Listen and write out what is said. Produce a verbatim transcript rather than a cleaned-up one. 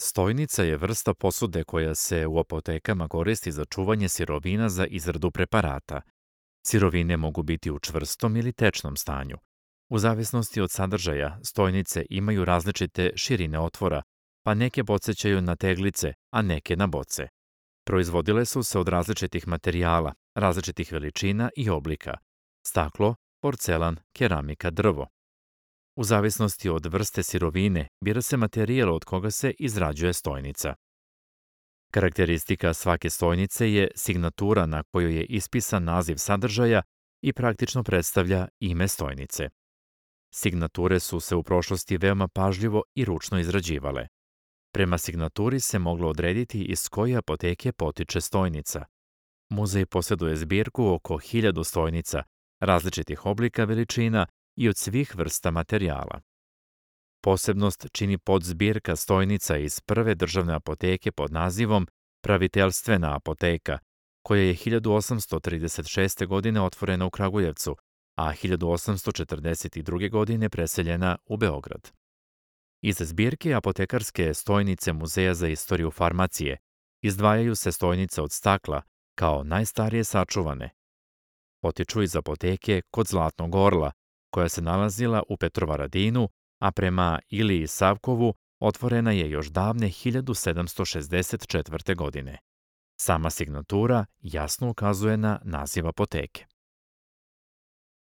Stojnica je vrsta posude koja se u apotekama koristi za čuvanje sirovina za izradu preparata. Sirovine mogu biti u čvrstom ili tečnom stanju. U zavisnosti od sadržaja, stojnice imaju različite širine otvora, pa neke podsećaju na teglice, a neke na boce. Proizvodile su se od različitih materijala, različitih veličina i oblika. Staklo, porcelan, keramika, drvo. U zavisnosti od vrste sirovine, bira se materijal od koga se izrađuje stojnica. Karakteristika svake stojnice je signatura na kojoj je ispisan naziv sadržaja i praktično predstavlja ime stojnice. Signature su se u prošlosti veoma pažljivo i ručno izrađivale. Prema signaturi se moglo odrediti iz koje apoteke potiče stojnica. Muzej posjeduje zbirku oko hiljadu stojnica, različitih oblika, veličina i od svih vrsta materijala. Posebnost čini podzbirka stojnica iz prve državne apoteke pod nazivom Praviteljstvena apoteka, koja je hiljadu osamsto trideset šeste. godine otvorena u Kragujevcu, a hiljadu osamsto četrdeset druge. godine preseljena u Beograd. Iz zbirke apotekarske stojnice Muzeja za istoriju farmacije izdvajaju se stojnice od stakla kao najstarije sačuvane. Potiču iz apoteke kod Zlatnog orla, koja se nalazila u Petrovaradinu, a prema Iliji Savkovu otvorena je još davne hiljadu sedamsto šezdeset četvrte. godine. Sama signatura jasno ukazuje na naziv apoteke.